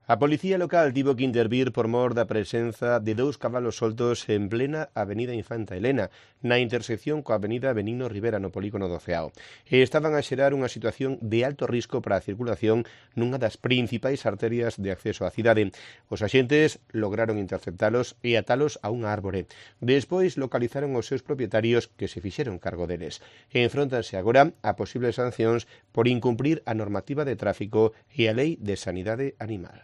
A policía local tivo que intervir por mor da presenza de 2 cabalos soltos en plena avenida Infanta Elena, na intersección coa avenida Benigno Rivera no polígono do Ceao. E estaban a xerar unha situación de alto risco para a circulación nunha das principais arterias de acceso á cidade. Os axentes lograron interceptalos e atalos a unha árbore. Despois localizaron os seus propietarios que se fixeron cargo deles. E enfróntanse agora a posibles sancións por incumprir a normativa de tráfico e a lei de sanidade animal.